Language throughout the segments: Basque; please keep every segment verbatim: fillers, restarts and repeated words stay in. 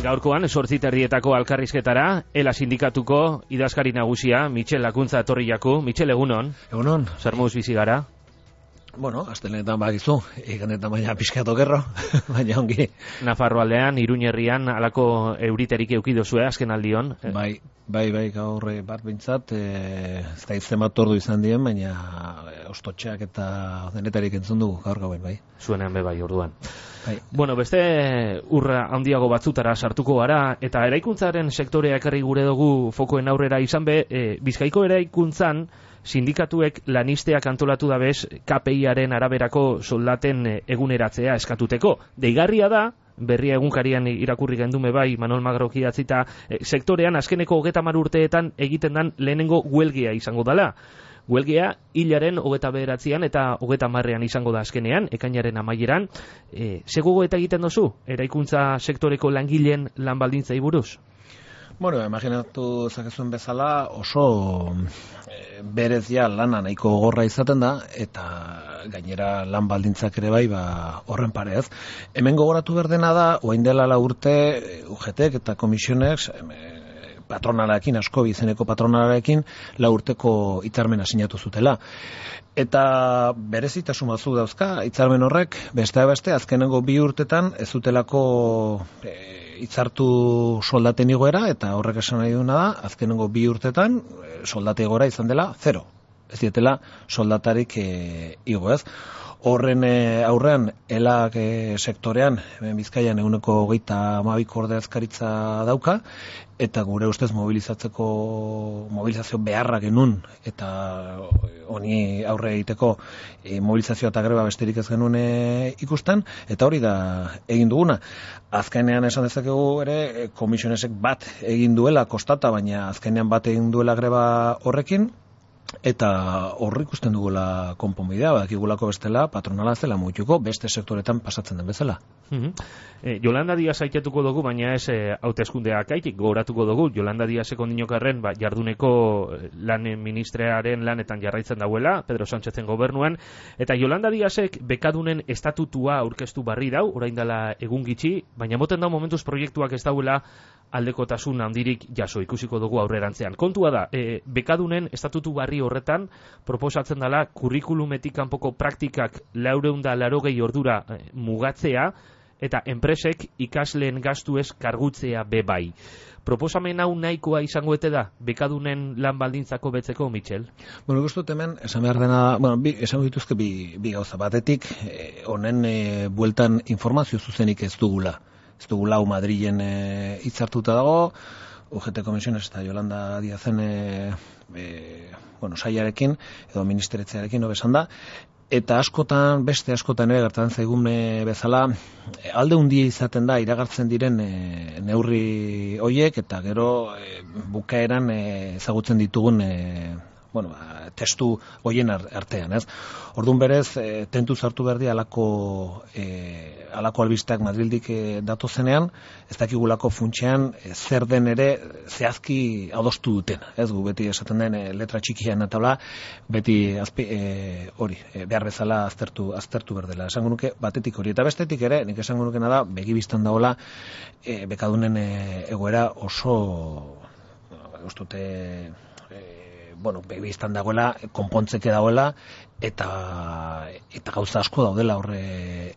Gaurkoan, sortzi terdietako alkarrizketara, Ela sindikatuko idazkari nagusia, Michel Lakuntza etorri jaku. Michel, egunon. Egunon. Zer moduz bizi gara? Bueno, astelenetan bakizu, ikanetan baina pixkatu gerro, baina ongi. Nafarro aldean, Iruñerrian, alako euriterik eukidozue, azken aldion. Bai, bai, bai, gaur bat bintzat, e, ez da izan bat ordu izan dien, baina ostotxeak eta denetarik entzun dugu gaur gauen, bai. Zuenean be bai, orduan. Bai. Bueno, beste urra handiago batzutara sartuko gara, eta eraikuntzaren sektorea ekarri gure dugu fokoen aurrera izan be, e, Bizkaiko eraikuntzan, sindikatuek lanisteak antolatu dabez K P I-aren araberako soldaten eguneratzea eskatuteko. Deigarria da, berria egunkarian irakurri gendume bai, Manol Magrok idatzita, e, sektorean azkeneko hogeta hamar urteetan egiten dan lehenengo huelgia izango dala. Huelgia hilaren hogeta bederatzean eta hogeta hamarrean izango da azkenean, ekainaren amaieran. E, Zegogo eta egiten dozu, eraikuntza sektoreko langileen lan baldintzei buruz? Bueno, imaginatu zakezuen bezala oso e, berezia lana nahiko gogorra izaten da, eta gainera lan baldintzak ere bai, ba, horren pareaz. Hemen gogoratu berdena da, oain dela la urte U G T eta komisionek, e, patronalarekin, asko izeneko patronalarekin, la urteko hitzarmena sinatu zutela. Eta berezitasun batzuk dauzka, hitzarmen horrek, beste beste, azkenengo bi urtetan ez zutelako e, hitzartu soldaten igoera, eta horrek esan nahi duna da, azkenengo bi urtetan soldate igoera izan dela zero. Ez dietela soldatarik e, igo ez. Horren e, aurrean, elak e, sektorean, hemen Bizkaian eguneko hogeita hamabiko ordezkaritza dauka, eta gure ustez mobilizatzeko mobilizazio beharra genuen, eta honi aurre egiteko e, mobilizazio eta greba besterik ez genuen e, ikusten, eta hori da egin duguna. Azkenean esan dezakegu ere, komisionesek bat egin duela kostata, baina azkenean bat egin duela greba horrekin, eta horri ikusten dugula konponbidea, badakigulako bestela patronala ez dela mutuko beste sektoretan pasatzen den bezala. Mm-hmm. e, Yolanda Díaz aitatuko dugu, baina ez e, hauteskundeak aitik gogoratuko dugu. Yolanda Díazeko dinokarren ba, jarduneko lan ministrearen lanetan jarraitzen dauela, Pedro Sánchezen gobernuan, eta Yolanda Díazek bekadunen estatutua aurkeztu barri dau, orain dela egun gitxi, baina moten dau momentuz proiektuak ez dauela aldekotasun handirik jaso, ikusiko dugu aurrerantzean. Kontua da, e, bekadunen estatutu barri horretan proposatzen dela kurrikulumetik kanpoko praktikak laurehun eta laurogei ordura e, mugatzea, eta enpresek ikasleen gastuez kargutzea bebai. Proposamen hau nahikoa izango ete da, bekadunen lan baldintzako betzeko, Michel? Bueno, guztut hemen, esan behar dena, bueno, bi, esan dituzke bi, bi gauza batetik, honen e, e, bueltan informazio zuzenik ez dugula. Ez dugu lau Madrilen e, hitzartuta dago, U G T komisiones eta Yolanda Díazen e, e, bueno, saiarekin, edo ministeretzearekin hobesan da, eta askotan, beste askotan ere gertatzen zaigun e, bezala, e, alde hundia izaten da iragartzen diren e, neurri hoiek, eta gero e, bukaeran e, ezagutzen ditugun e, bueno, testu hoien artean, ez? Orduan berez, e, tentu zartu berdi alako, e, alako albisteak Madrildik e, datozenean, ez dakigulako funtsean e, zer den ere zehazki adostu duten, ez? Gu beti esaten den e, letra txikian eta hola, beti azpi, e, hori, e, behar bezala aztertu, aztertu berdela. Esango nuke batetik hori, eta bestetik ere, nik esango nukena da, begibistan dagoela, e, bekadunen e, egoera oso, ustute, bueno, begibistan dagoela, konpontzeke dagoela, eta eta gauza asko daudela horre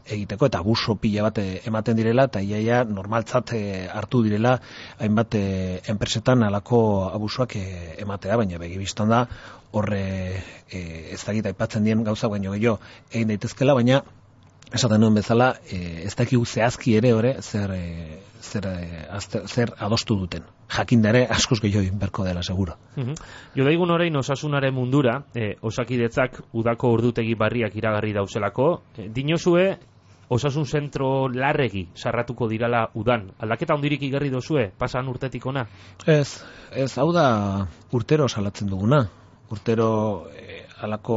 egiteko, eta abuso pila bat ematen direla, eta iaia normaltzat hartu direla hainbat enpresetan alako abusuak ematea, baina begibistan da horre ez dakit aipatzen dien gauza baino gehiago egin daitezkela, baina esaten nuen bezala, e, ez dakigu zehazki ere ore zer, e, zer, e, azter, zer adostu duten. Jakindare askoz gehiago berko dela, seguro. Mm-hmm. Jodaigun orain osasunaren mundura, e, osakidetzak udako ordutegi barriak iragarri dauzelako, e, dinozue osasun zentro larregi sarratuko dirala udan. Aldaketa hondirik igarri dozue, pasan urtetik ona? Ez, ez, hau da urtero salatzen duguna. Urtero e, alako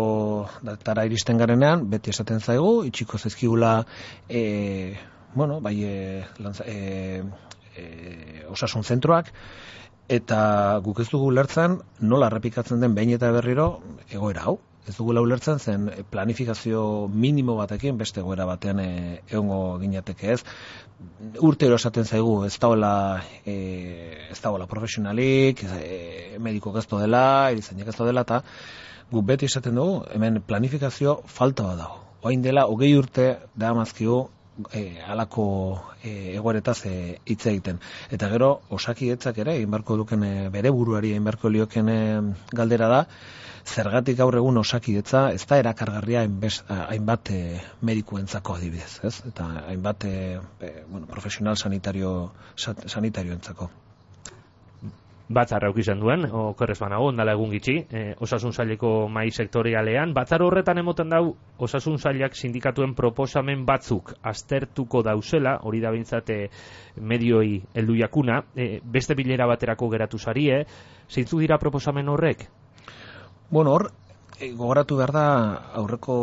datara iristen garenean, beti esaten zaigu, itxiko zaizkigula, e, bueno, bai, e, lanza, e, e, osasun zentroak, eta guk ez dugu lertzen nola errepikatzen den behin eta berriro egoera hau. Ez dugula ulertzen zen planifikazio minimo batekin beste egoera batean e, egongo ginateke, ez? Urtero esaten zaigu ez dagoela e, ez dagoela profesionalik, e, mediko ez dela, erizainek ez dela, eta guk beti esaten dugu, hemen planifikazio falta bat dago. Orain dela hogei urte da amazkigu E, alako e, egoeretaz e, hitz egiten. Eta gero, Osakidetzak ere, egin beharko duken e, bere buruari egin beharko lioken e, galdera da, zergatik gaur egun Osakidetza ez da erakargarria hainbest, hainbat e, medikuentzako adibidez, ez? Eta hainbat e, e, bueno, profesional sanitario, sanitarioentzako. Batzar auk izan duen, okerrez banago, ondala egun gitxi, e, osasun saileko mai sektorialean. Batzar horretan emoten dau, osasun sailak sindikatuen proposamen batzuk aztertuko dauzela, hori da bintzate medioi heldu jakuna, e, beste bilera baterako geratu zarie, zeintzu dira proposamen horrek? Bueno, hor, e, gogoratu behar da aurreko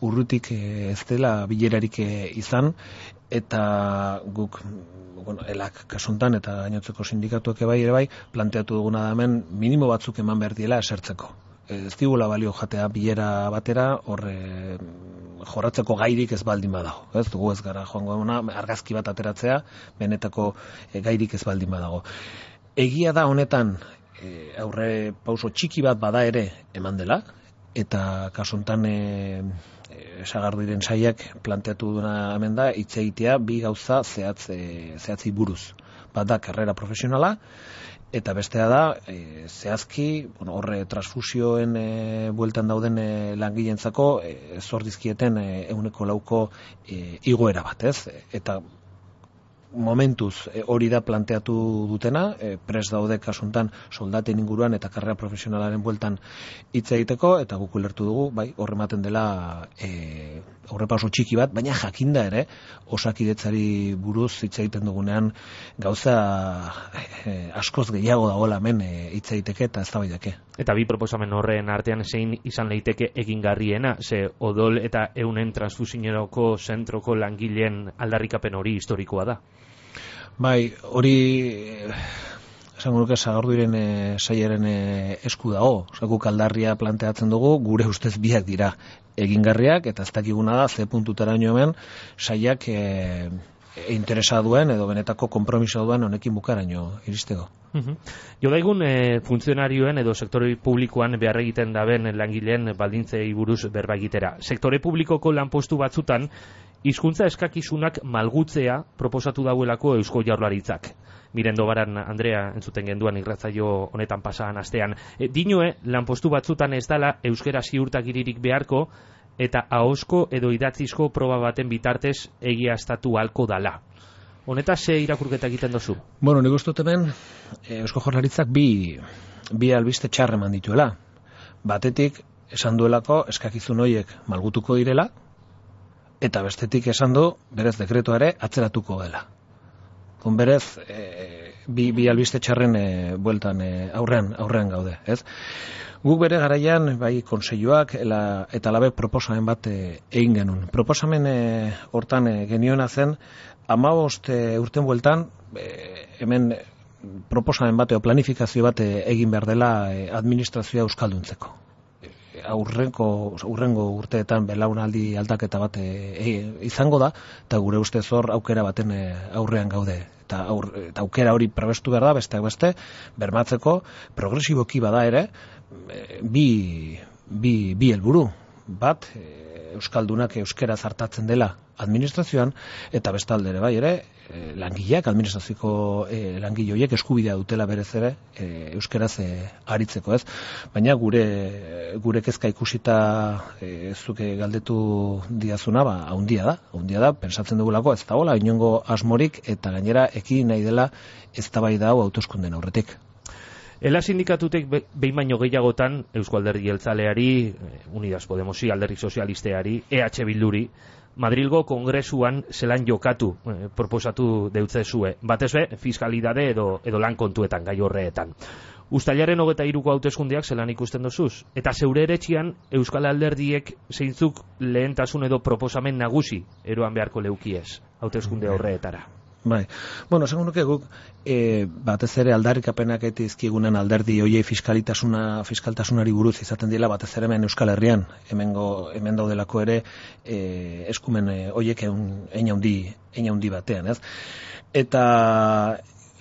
urrutik e, ez dela bilerarik e, izan, eta guk, bueno, elak kasuntan eta gainotzeko sindikatuak bai ere bai, planteatu duguna da hemen minimo batzuk eman behar diela esertzeko. Ez digula balio jatea bilera batera, horre jorratzeko gairik ez baldin badago. Ez dugu ez gara joango ona, argazki bat ateratzea, benetako e, gairik ez baldin badago. Egia da honetan, e, aurre pauso txiki bat bada ere eman dela, eta kasuntan e, Sagarduiren saiak planteatu duna hemen da, hitz egitea bi gauza zehatz, e, zehatzi buruz. Bat da, karrera profesionala, eta bestea da, e, zehazki, bueno, horre transfusioen e, bueltan dauden e, langileentzako e, zor dizkieten e, ehuneko lauko e, igoera bat, ez? Eta momentuz e, hori da planteatu dutena, e, pres daude kasuntan soldaten inguruan eta karrera profesionalaren bueltan hitz egiteko, eta guk ulertu dugu, bai, horrematen dela e, aurrepauso txiki bat, baina jakinda ere, Osakidetzari buruz hitz egiten dugunean gauza e, askoz gehiago dagoela hemen hitz e, egiteke eta eztabaidake. Eta bi proposamen horren artean zein izan leiteke egingarriena, ze odol eta eunen transfusionerako zentroko langileen aldarrikapen hori historikoa da. Bai, hori esango nuke Sagarduiren e, sailaren e, esku dago. Guk aldarria planteatzen dugu, gure ustez biak dira egingarriak, eta ez dakiguna da ze puntutaraino hemen saiak e, interesa duen edo benetako konpromisoa duen honekin bukaraino iristeko. Uh-huh. Jo daigun e, funtzionarioen edo sektore publikoan behar egiten daben langileen baldintzei buruz berba egitera. Sektore publikoko lanpostu batzutan hizkuntza eskakizunak malgutzea proposatu dauelako Eusko Jaurlaritzak. Mirendo Baran Andrea entzuten genduan irratzaio honetan pasaan astean. E, dinoe, lanpostu batzutan ez dala euskera ziurtagiririk beharko eta ahozko edo idatzizko proba baten bitartez egiaztatu halko dala. Honetaz ze irakurketa egiten dozu? Bueno, nik uste dut hemen Eusko Jaurlaritzak bi, bi albiste txarre eman dituela. Batetik esan duelako eskakizun horiek malgutuko direla, eta bestetik esan du berez dekretua ere atzeratuko dela. Kon berez e, bi, bi albiste txarren e, bueltan e, aurrean, aurrean gaude, ez? Guk bere garaian, bai, kontseiluak ela, eta alabe proposamen bat e, egin genuen. Proposamen e, hortan e, geniona zen, hamabost e, urten bueltan, e, hemen proposamen bat, o planifikazio bat e, egin behar dela e, administrazioa euskalduntzeko. Aurrenko, aurrengo urteetan belaunaldi aldaketa bat e, e, izango da, eta gure ustez hor aukera baten e, aurrean gaude. Eta, aur, eta aukera hori prebestu behar da, besteak beste, bermatzeko, progresiboki bada ere, e, bi, bi, bi helburu. Bat, e, euskaldunak euskera zartatzen dela administrazioan, eta bestalde ere bai ere, e, langileak, administrazioko e, langile horiek eskubidea dutela berez ere e, euskeraz e, aritzeko, ez? Baina gure gure kezka ikusita e, zuke galdetu diazuna, ba, haundia da, haundia da, pensatzen dugulako ez dagoela inongo asmorik, eta gainera ekin nahi dela eztabaida hau hauteskunden aurretik. Ela sindikatutek behin baino gehiagotan Eusko Alderdi Jeltzaleari, Unidas Podemosi, Alderdi Sozialisteari, E H Bilduri, Madrilgo Kongresuan zelan jokatu eh, proposatu deutzezue, batez be, fiskalidade edo, edo lan kontuetan gai horreetan. Uztailaren hogeta hiruko hauteskundeak zelan ikusten dozuz? Eta zeure eretxian Euskal Alderdiek zeintzuk lehentasun edo proposamen nagusi eroan beharko leukiez hauteskunde horreetara? Bai. Bueno, esango nuke guk e, batez ere aldarrikapenak etizkigunen alderdi hoiei fiskalitasuna fiskaltasunari buruz izaten dira batez ere hemen Euskal Herrian, hemengo hemen daudelako ere e, eskumen hoiek hein handi hein handi batean, ez? Eta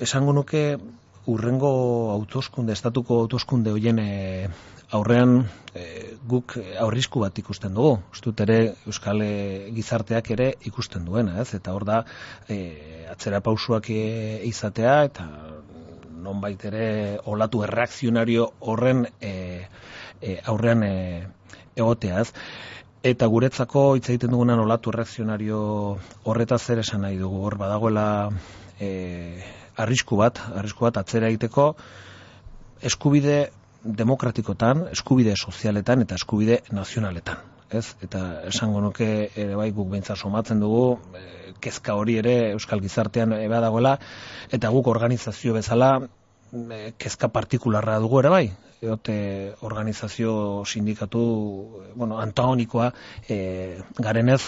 esango nuke urrengo hauteskunde estatuko hauteskunde hoien e, aurrean e, guk aurrisku bat ikusten dugu. Ustut ere Euskal e, gizarteak ere ikusten duena, ez? Eta hor da e, atzera pausuak e, izatea eta nonbait ere olatu erreakzionario horren e, e, aurrean e, egotea, ez? Eta guretzako hitz egiten dugunan olatu erreakzionario horretaz zer esan nahi dugu. Hor badagoela e, arrisku bat, arrisku bat atzera egiteko eskubide demokratikotan, eskubide sozialetan eta eskubide nazionaletan, ez? Eta esango nuke ere bai guk beintza somatzen dugu e, kezka hori ere euskal gizartean e, badagoela eta guk organizazio bezala e, kezka partikularra dugu ere bai. Eote organizazio sindikatu bueno, antagonikoa e, garenez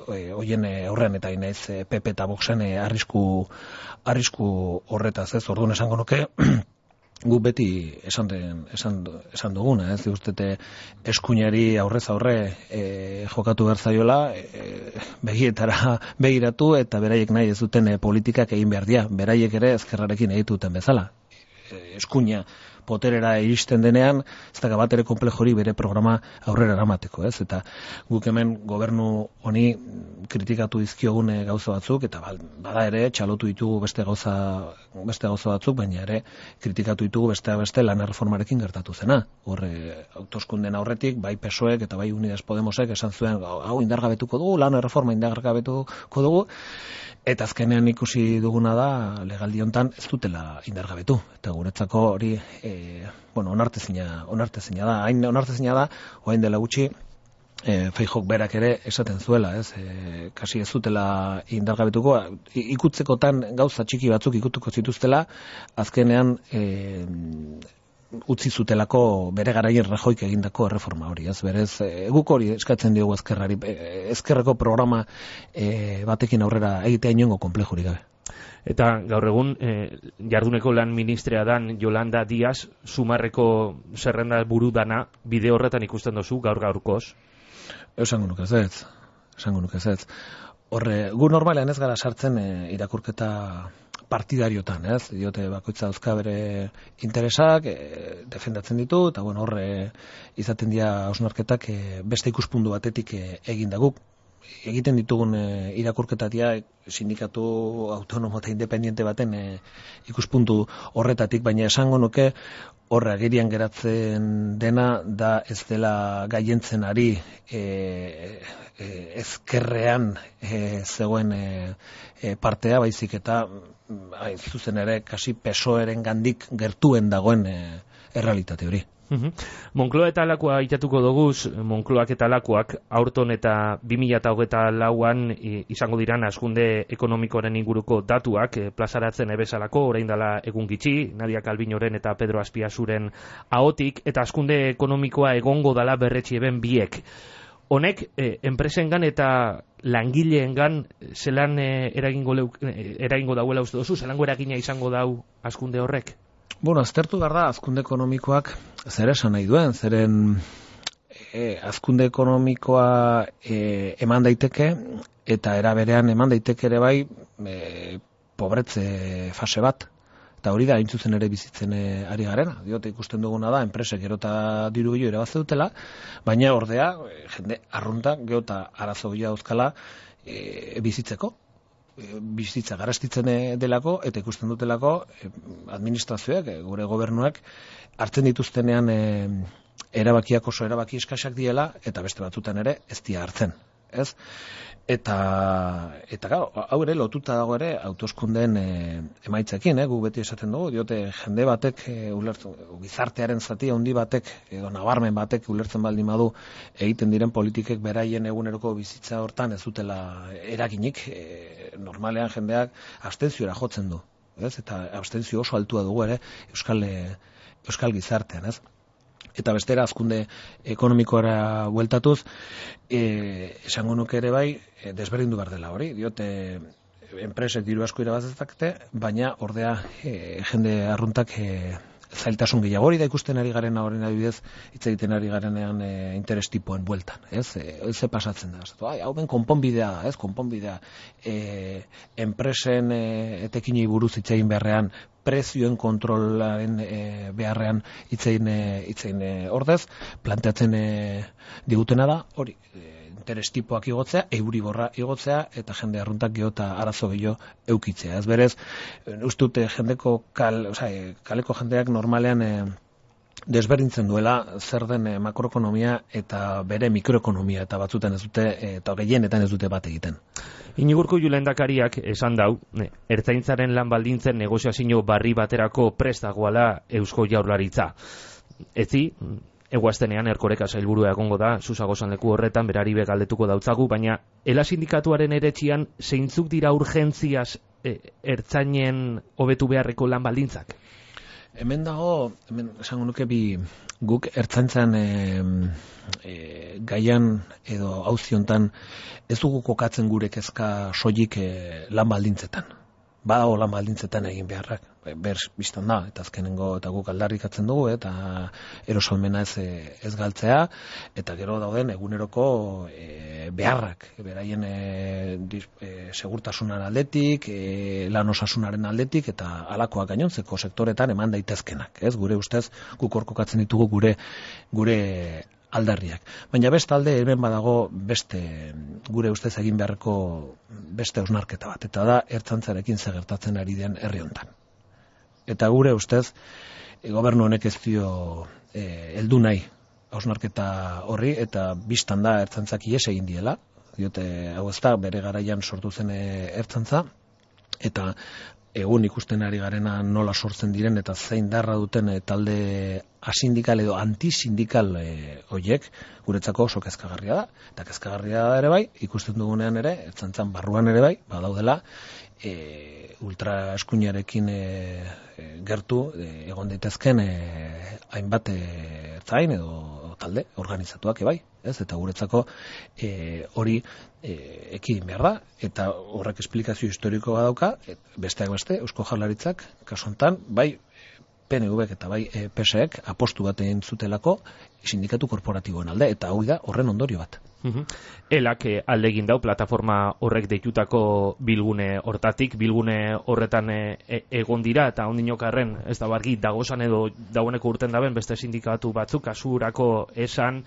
e, hoien e, aurrean eta inaiz e, P P eta Voxen e, arrisku arrisku horretaz, ez? Orduan esango nuke guk beti esan, den, esan, esan duguna, ez ustete eskuinari aurrez aurre e, jokatu behar zaiola, e, begietara begiratu eta beraiek nahi ez duten e, politikak egin behar dira, beraiek ere ezkerrarekin egituten bezala. E, eskuina poterera iristen denean, ez da bat ere konplejori bere programa aurrera eramateko, ez? Eta guk hemen gobernu honi kritikatu dizkiogune gauza batzuk, eta bada ere txalotu ditugu beste gauza, beste gauza batzuk, baina ere kritikatu ditugu beste beste lan erreformarekin gertatu zena. Horre, hauteskunden aurretik, bai P S O Ek eta bai Unidas Podemosek esan zuen, hau indargabetuko dugu, lan erreforma indargabetuko dugu, eta azkenean ikusi duguna da legaldi hontan ez dutela indargabetu. Eta guretzako hori e, bueno, onartezina, onartezina da. Hain onartezina da, orain dela gutxi e, Feijok berak ere esaten zuela, ez? E, kasi ez dutela indargabetuko, ikutzekotan gauza txiki batzuk ikutuko zituztela, azkenean e, utzi zutelako bere garaien Rajoyk egindako erreforma hori, ez? Berez, e, guk hori eskatzen diogu ezkerrari, e, ezkerreko programa e, batekin aurrera egitea inongo konplejurik gabe. Eta gaur egun eh, jarduneko lan ministrea dan Yolanda Díaz Sumarreko zerrenda buru dana bide horretan ikusten dozu gaur gaurkoz? Esango nuke ez ez, esango nuke ez ez. Horre, gu normalean ez gara sartzen e, irakurketa partidariotan, ez? Diote bakoitza dauzka bere interesak, e, defendatzen ditu, eta bueno, horre izaten dira hausnarketak e, beste ikuspuntu batetik e, egin da guk. Egiten ditugun e, irakurketatia sindikatu autonomo eta independiente baten e, ikuspuntu horretatik, baina esango nuke horre agerian geratzen dena da ez dela gaientzen ari e, e, ezkerrean e, zegoen e, e, partea, baizik eta ai, zuzen ere kasi P S O eren gandik gertuen dagoen e, errealitate hori. Uhum. Moncloa eta Lakoa itatuko doguz, Moncloak eta Lakoak aurton eta bi mila hogeita lauan izango diran hazkunde ekonomikoaren inguruko datuak e, plazaratzen ebesalako, orain dela egun gitxi, Nadia Calvinoren eta Pedro Azpiazuren ahotik, eta hazkunde ekonomikoa egongo dala berretsi eben biek. Honek, e, enpresengan eta langileengan zelan e, eragingo, e, eragingo dauela uste dozu, zelango eragina izango dau hazkunde horrek? Bueno, aztertu behar da, hazkunde ekonomikoak zer esan nahi duen, zeren e, hazkunde ekonomikoa e, eman daiteke, eta era berean eman daiteke ere bai e, pobretze fase bat, eta hori da hain zuzen ere bizitzen e, ari garena. Diote ikusten duguna da, enpresek gero eta diru gehiago ere bat dutela, baina ordea, e, jende arrunta, gero eta arazo gehiago dauzkala e, bizitzeko. Bizitza garastitzen delako eta ikusten dutelako administrazioak, gure gobernuak hartzen dituztenean e, erabakiak oso erabaki eskasak diela eta beste batzutan ere ez dira hartzen, ez? Eta eta claro, hau ere lotuta dago ere hauteskundeen e, emaitzekin, eh? Gu beti esaten dugu, diote jende batek e, ulertzen, gizartearen zati handi batek edo nabarmen batek ulertzen baldin badu egiten diren politikek beraien eguneroko bizitza hortan ez dutela eraginik, e, normalean jendeak abstentziora jotzen du, ez? Eta abstentzio oso altua dugu ere euskal e, euskal gizartean, ez? Eta bestera hazkunde ekonomikoara bueltatuz, e, esango nuke ere bai, e, desberdindu behar dela hori. Diote, enpresek diru asko irabazezakete, baina ordea e, jende arruntak e, zailtasun gehiago hori da ikusten ari garen horren adibidez, hitz egiten ari garenean e, interes tipoen bueltan, ez? E, ze pasatzen da. Ai, hau ben konponbidea, ez? Konponbidea. E, enpresen e, etekinei buruz hitz egin beharrean, prezioen kontrolaren e, beharrean hitz egin e, hitz egin e, ordez, planteatzen e, digutena da, hori, e, interes tipoak igotzea, euriborra igotzea, eta jende arruntak geho eta arazo gehiago eukitzea. Ez berez, uste dute jendeko kal, oza, kaleko jendeak normalean e, desberdintzen duela zer den e, makroekonomia eta bere mikroekonomia, eta batzutan ez dute, e, eta gehienetan ez dute bat egiten. Inigurko lehendakariak esan dau, ertzaintzaren lan baldintzen negoziazio barri baterako prestagoala Eusko Jaurlaritza. Etzi, eguaztenean Erkoreka sailburua egongo da, Susagozan leku horretan, berari begaldetuko dautzagu, baina Ela sindikatuaren eretxian zeintzuk dira urgentziaz e, ertzainen hobetu beharreko lan baldintzak? Hemen dago, hemen esango nuke bi guk ertzaintzan e, e, gaian edo auziontan ez dugu kokatzen gure kezka soilik e, lan baldintzetan. Badago lan baldintzetan egin beharrak, ber biztan da, eta azkenengo eta guk aldarrikatzen dugu, eta erosolmena ez, ez galtzea, eta gero dauden eguneroko e, beharrak, beraien e, dis, e, segurtasunaren aldetik, e, lan osasunaren aldetik, eta alakoak gainontzeko sektoretan eman daitezkenak, ez? Gure ustez, guk orkokatzen ditugu gure gure aldarriak. Baina beste alde hemen badago beste gure ustez egin beharreko beste hausnarketa bat, eta da ertzantzarekin zer gertatzen ari den herri hontan. Eta gure ustez e, gobernu honek ez dio e, heldu nahi hausnarketa horri, eta bistan da ertzantzak ihes egin diela, diote hau ez da bere garaian sortu zen e, ertzantza, eta egun ikusten ari garena nola sortzen diren eta zein darra duten e, talde asindikal edo antisindikal e, hoiek guretzako oso kezkagarria da. Eta kezkagarria da ere bai, ikusten dugunean ere, ertzaintzan barruan ere bai, badaudela e, ultra eskuinarekin e, e, gertu e, egon daitezken e, hainbat e, ertzain edo talde organizatuak ebai, ez? Eta guretzako e, hori e, ekidin behar da, eta horrek esplikazio historiko badauka, besteak beste, Eusko Jaurlaritzak, kasu honetan, bai P N V eta bai e, P S ek apostu bat egin zutelako sindikatu korporatiboen alde, eta hau da horren ondorio bat. Uhum. Elak alde egin dau plataforma horrek deitutako bilgune hortatik, bilgune horretan e, egon dira, eta ondinokarren ez da bargi dagozan edo dagoeneko urten daben beste sindikatu batzuk, kasurako esan,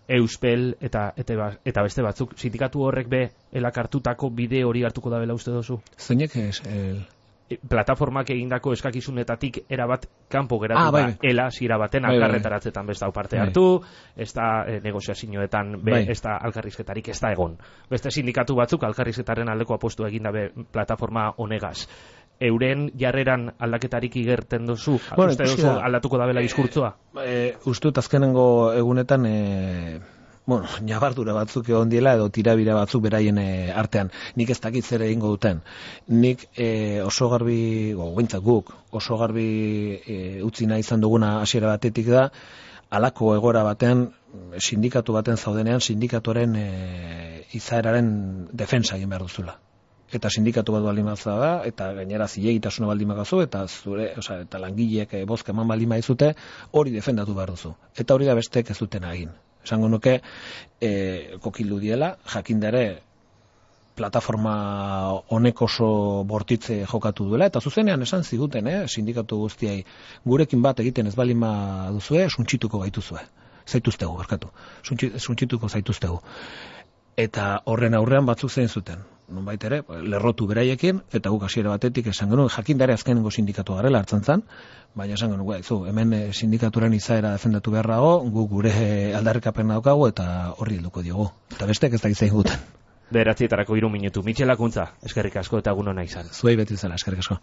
Euspel eta, eta, eta beste batzuk. Sindikatu horrek be elak hartutako bide hori hartuko dabela uste dozu? Zeinek ez... El... Plataformak egindako eskakizunetatik erabat kanpo geratu ah, da, bai. Ela zira baten bai, alkarretaratzetan besta parte bai. hartu, ez da e, negoziazioetan be, bai. ez da alkarrizketarik ez da egon. Beste sindikatu batzuk alkarrizketaren aldeko apostu eginda be plataforma honegaz. Euren jarreran aldaketarik igerten dozu? Bueno, uste dozu aldatuko dabela diskurtzoa? E, e, uste dut azkenengo egunetan... E... Bueno, nabardura batzuk egon diela edo tirabira batzuk beraien e, artean. Nik ez dakit zer egingo duten. Nik e, oso garbi, gointzak guk, oso garbi e, utzi nahi izan duguna hasiera batetik da, halako egoera batean, sindikatu baten zaudenean, sindikatuaren e, izaeraren defensa egin behar duzula. Eta sindikatu bat baldin bazda da, eta gainera zilegitasuna baldin bakazu, eta zure, oza, eta langileek e, bozka eman baldin baizute, hori defendatu behar duzu. Eta hori da besteek ez duten egin. Esango nuke, e, kokildu diela, jakindare plataforma honek oso bortitze jokatu duela, eta zuzenean esan ziguten, eh, sindikatu guztiai, gurekin bat egiten ez balima duzue, suntsituko gaituzue. Zaituztegu, barkatu. Suntsituko zaituztegu. Eta horren aurrean batzuk zein zuten. Nonbait ere, lerrotu beraiekin, eta guk hasiera batetik esan genuen, jakindare azkenengo sindikatu garela hartzen zan, baina esan genuen, zu, hemen sindikaturen izaera defendatu beharrago, guk gure aldarrikapen daukagu, eta horri helduko diogu. Eta besteak ez da gizain guten. Beratzietarako hiru minutu. Mitxelakuntza, eskerrik asko eta egun ona izan. Zuei beti zela, eskerrik asko.